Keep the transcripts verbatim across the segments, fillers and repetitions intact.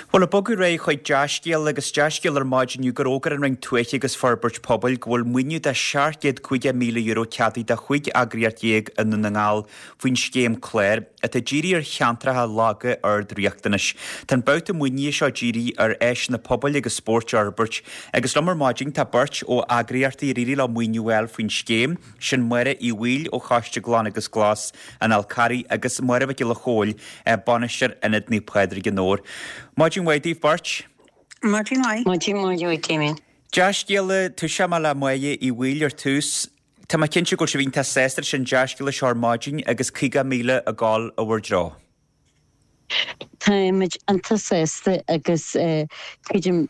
Bhuel, ag bogadh ar aghaidh chuig dea-scéal agus dea-scéal ar maidin inniu gur fhógair an Roinn Tuaithe agus Forbairt Pobail go bhfuil maoiniú de seacht gcéad caoga míle euro ceadaithe do chúig eagraíocht dhéag i nDún na nGall faoin scéim cláir atá dírithe ar cheantracha laga ard-riachtanais. Tá an babhta maoinithe seo dírithe ar áiseanna pobail agus spóirt a fhorbairt agus liom ar maidin tá beirt ó eagraíochtaí ar éirigh leo maoiniú a fháil faoin scéim, sin Máire Uí Bhaoill ó Choiste Glan agus Glas an Fhál Carraigh agus Máire Mhic Giolla Chóill, Bainisteoir Ionad Naomh Pádraig an Fheabhair. Maidin mhaith daoibh beirt. Maidin mhaith. Maidin mhaith duit, Damien. Dea-scéala, tosóidh mé le Máire Uí Bhaoill ar tús. Tá mé cinnte go bhfuil sibh iontach sásta leis an dea-scéala seo ar maidin agus caoga míle ag dul i bhur dtreo. Táimid iontach sásta agus creidim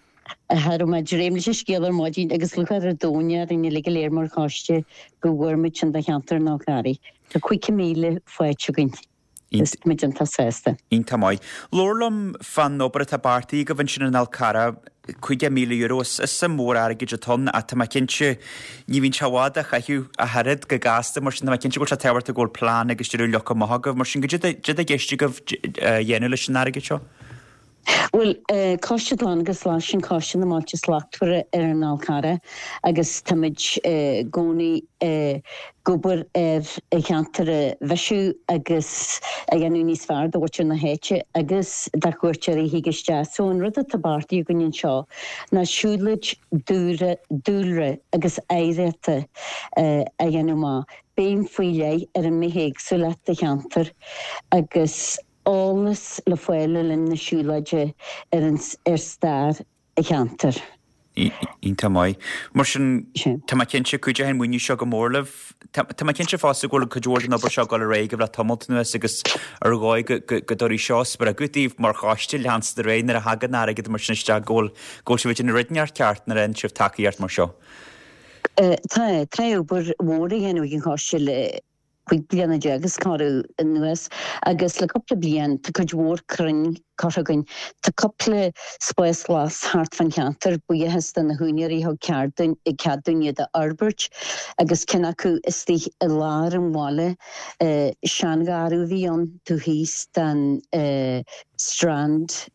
cha raibh mé ag dréim leis an scéal ar maidin agus lúcháir an domhain orainn uilig go léir mar choiste go bhfuair muid sin do cheantar an Fháil Charraigh. Tá caoga míle faighte againn. Is muid iontach sásta. Iontach maith. Labhair liom fán obair atá beartaithe agaibh ansin in Fhál Carrach, caoga míle euro, is suim mhór airgid atá ann ach tá mé cinnte ní bhíonn sé i bhfad á chaitheamh ach oiread go gasta mar sin tá mé cinnte go bhfuil sé tábhachtach go bhfuil plean agus deireadh leagtha amach agaibh mar sin goidé atá i gceist agaibh a dhéanamh leis an airgead seo? Bhuel, Coiste Glan agus Glas, sin Coiste na mBailte Slachtmhara ar an Fhál Carrach agus táimid i gcónaí ag obair ar an cheantar a mhaisiú agus a dhéanamh níos fearr do mhuintir na háite agus do chuairteoirí a thig isteach. So an rud atá beartaithe againn anseo ná siúlóid dúlra agus oidhreachta a dhéanamh amach, béim faoi leith ar an mbithéagsúlacht sa cheantar agus eolas le fáil le linn na siúlóide ar an ar stair an cheantair. Iontach maith. Mar sin, tá mé cinnte, cuideoidh an maoiniú seo go mór libh. Tá mé cinnte fosta go bhfuil cuid mhór den obair seo ag dul ar aghaidh agaibh le tamalt anuas agus ar dhóigh go dtabharfaidh seo spreagadh daoibh mar choiste leanstan ar aghaidh nuair a thagann airgead mar sin isteach go bhfuil go bhfuil sibh ag déanamh rud inteacht ceart nuair a fhaigheann sibh tacaíocht mar seo. Tá, tá obair mhór á dhéanamh ag an choiste le cúig bliana déag is corradh anuas agus le cúpla bliain tá cuid mhór crainn curtha againn. Tá cúpla spás glas thart fán cheantar, buíochas do na húinéirí a thug cead dúinn iad a fhorbairt agus ceann acu istigh i lár an bhaile, seangharradh a bhí ann taobh thíos den Strand.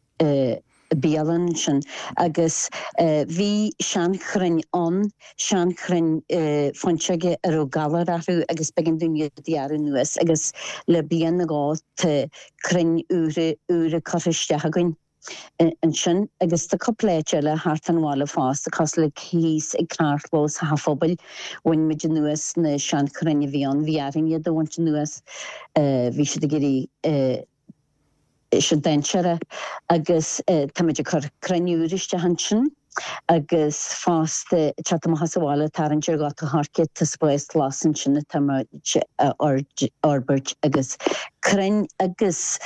bialann ansin agus bhí seanchrainn ann, seanchrainn fuinseoige a raibh galar orthu agus b'éigean dúinn iad a ghearradh anuas agus le bliain nó dhó tá crainn úra úra curtha isteach againn ansin agus tá cúpla áit eile thart an bhaile fosta cosúil le thíos ag carrchlós an phobail, bhain muid anuas na seanchrainn a bhí ann, bhí orainn iad a bhaint anuas, bhí siad ag éirí sé dainséarach agus táimid ag cur crainn úr isteach ansin agus fosta ag teacht amach as an bhaile tarraingt ar Ghort an Choirce tá spás glas ansin atá muid a fhorbairt agus crainn agus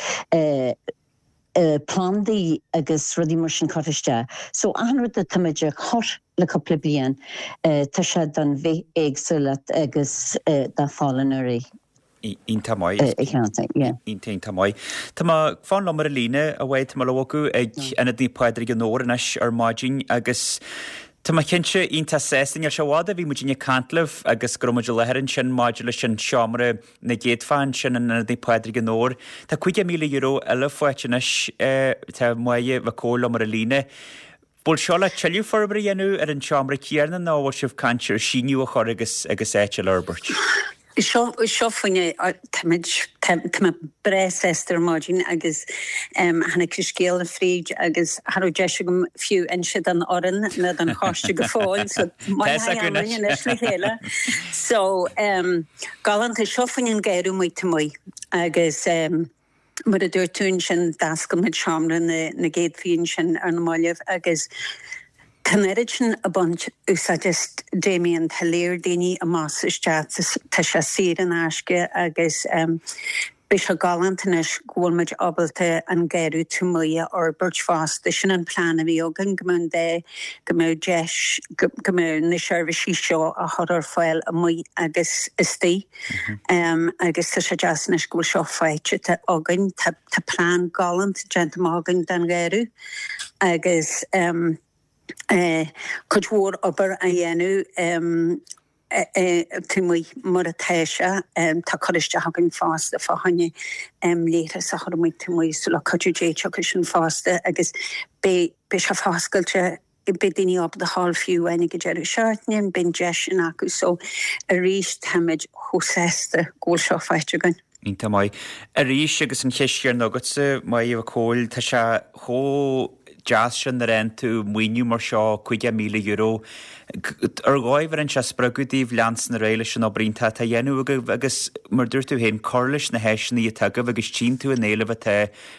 plandaí agus rudaí mar sin curtha isteach. So achan rud atá muid a chur le cúpla bliain tá sé don bhithéagsúlacht agus dá folláine ar aghaidh. Iontach maith. Iontach, iontach maith. Tá mé, fan liom ar an líne, a Mháire, tá mé le bogadh ag Ionad Naomh Pádraig an Fheabhair anois ar maidin agus tá mé cinnte iontach sásta. Níl sé i bhfad ó bhí muidinne ag caint libh agus go raibh muid i láthair ansin maidir leis an seomra na gcéadfaí ansin in Ionad Naomh Pádraig an Fheabhair. Tá caoga míle euro eile faighte anois, tá Máire Mhic Cóil liom ar an líne. Bhfuil seo le tuilleadh forbartha a dhéanamh ar an seomra céanna nó bhfuil sibh ag caint ar síneadh a chur agus agus áit eile a fhorbairt? Seo seo faoine táimid tá mé breá sásta ar maidin agus tháinig an scéal fríd agus cha raibh deis agam fiú inse don fhoireann ná don choiste go fóill so maith anois le chéile. So galánta seo faoin an garradh amuigh taobh amuigh agus Mar a dúirt tú ansin, d'oscail muid seomra na gcéadfaí ansin ar na mallaibh agus tá an oiread sin ag baint úsáid as, Damien, tá léir daoine amach is isteach, tá sé saor in aisce agus beidh sé galánta anois go bhfuil muid ábalta an garradh taobh amuigh a fhorbairt fosta. Sin an plean a bhí againn, go mbeadh an dá, go mbeadh deis, go mbeadh na seirbhísí seo á chur ar fáil amuigh agus istigh. Agus tá sé deas anois go bhfuil seo faighte againn. Tá plean galánta déanta amach againn don gharradh agus cuid mhór obair á dhéanamh taobh amuigh mar atá sé. Tá cur isteach againn fosta fá choinne leithreas a chur amuigh taobh amuigh so le cuidiú Dé tiocfaidh sin fosta agus beidh beidh sé foscailte beidh daoine ábalta a ghabháil fiú amháin ag an deireadh seachtaine, beidh an deis sin acu so arís táimid chomh sásta go bhfuil seo faighte againn. Iontach maith. Arís agus an cheist chéanna agatsa, Máire Mhic Cóil, tá sé chomh deas sin nuair a fhaigheann tú maoiniú mar seo, caoga míle euro. Ar dhóigh bheireann sé spreagadh daoibh leanstan ar aghaidh leis an obair iontach atá á dhéanamh agaibh agus mar dúirt tú féin, cur leis na háiseanna atá agaibh agus tchíonn tú an éileamh atá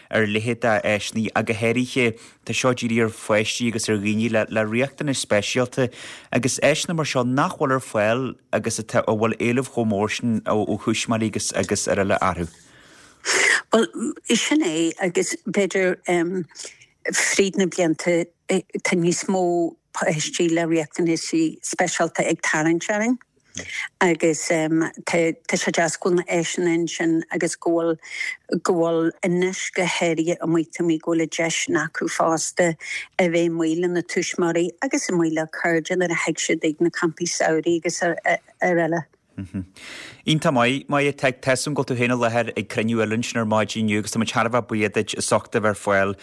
ar a leithéid d'áiseanna ach go háirithe tá seo dírithe ar pháistí agus ar dhaoine le le riachtanais speisialta agus áiseanna mar seo nach bhfuil ar fáil agus atá a bhfuil éileamh chomh mór sin ó ó thuismitheoirí agus agus araile orthu. Bhuel, sin é agus b'fhéidir um, fríd na blianta tá níos mó páistí le riachtanaisí speisialta ag tarraingt orainn. Agus um, tá sé deas go bhfuil na háiseanna ansin agus go bhfuil go bhfuil anois go háirithe amuigh taobh amuigh go bhfuil deis acu fosta a bheith amuigh lena tuismitheoirí agus amuigh le cairde nuair a thig siad ag na campaí samhraidh agus araile. Iontach maith, Máire, tá a fhios agam go bhfuil tú féin i láthair ag cruinniú eile ansin ar maidin inniu agus tá muid thar a bheith buíoch duit as ucht a bheith ar fáil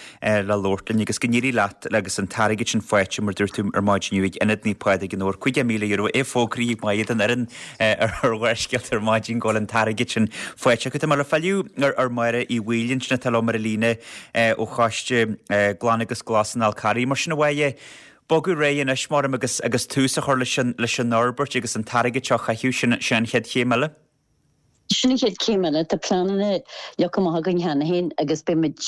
le labhairt linn agus go n-éirí leat agus an t-airgead sin faighte mar dúirt tú ar maidin inniu ag Ionad Naomh Pádraig in Dobhar. Caoga míle euro é fógraithe ag Máire don fhoireann ar Bharrscéalta ar maidin go bhfuil an t-airgead sin faighte acu. Tá mé le filleadh ar Mháire Uí Bhaoill ansin atá liom ar an líne ó Choiste Glan agus Glas an Fhál Carraigh. Mar sin a Mháire, bogadh ar aghaidh anois maram agus agus tús a chur leis an leis an fhorbairt agus an t-airgead seo a chaitheamh sin sin an chéad chéim eile. Sin an chéad chéim eile tá pleananna leagtha amach againn cheana féin agus beimid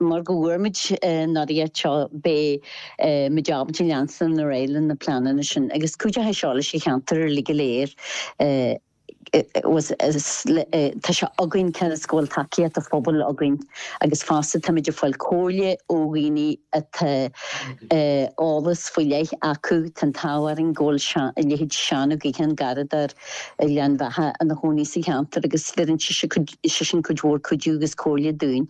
mar go bhfuair muid an airgead seo beidh muid ábalta leanstan ar aghaidh le na pleananna sin agus cuideoidh seo leis an cheantar uilig go léir. Tá sé againn cionn is go bhfuil tacaíocht an phobail againn agus fosta táimid ag fáil comhairle ó dhaoine atá eolas faoi leith acu. Tá an t-ádh orainn go bhfuil a leithéid Seán Ó Gaoithín, garradóir i Gleann Bheatha ina chónaí sa cheantar agus bheireann seisean cuid mhór cuidiú agus comhairle dúinn.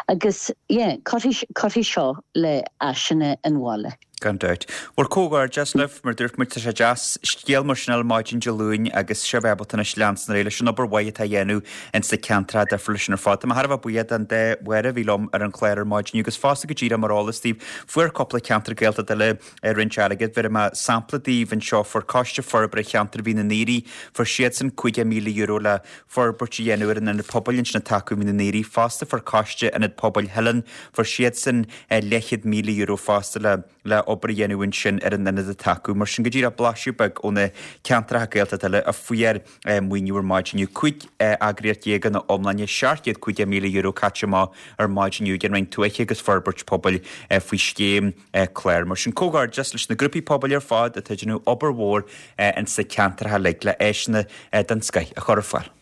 Agus yeah, cuirfidh seo le áiseanna an bhaile. Gan dabht. Bhuel, comhghairdeas libh, mar dúirt muid, tá sé deas scéal mar sin a fháil maidin Dé Luain agus sibh ábalta anois leanstan ar aghaidh leis an obair mhaith atá á dhéanamh ins na ceantracha difriúla sin ar fad. Tá mé thar a bheith buíoch den dá Mháire a bhí liom ar an chlár ar maidin inniu agus fosta go díreach mar eolas daoibh, fuair cúpla ceantar Gaeltachta eile roinnt airgid. Bhéarfaidh mé sampla daoibh anseo, fuair Coiste Forbartha Cheantar Mhín an Aoraigh, fuair siadsan caoga míle euro le forbairt a dhéanamh ar an ionad pobail ansin atá acu i Mín an Aoraigh. Fosta fuair Coiste Ionad Pobail Theileann, fuair siadsan leathchéad míle euro fosta le le obair a dhéanamh ansin ar an ionad atá acu. Mar sin go díreach blaiseadh beag ó na ceantracha Gaeltachta eile a fuair maoiniú ar maidin inniu. Cúig eagraíocht déag ina iomláine, seacht gcéad caoga míle euro caite amach ar maidin inniu ag an Roinn Tuaithe agus Forbairt Pobail faoi scéim clár. Mar sin comhghairdeas leis na grúpaí pobail ar fad atá ag déanamh obair mhór insa ceantracha uilig le áiseanna den scoith a chur ar fáil.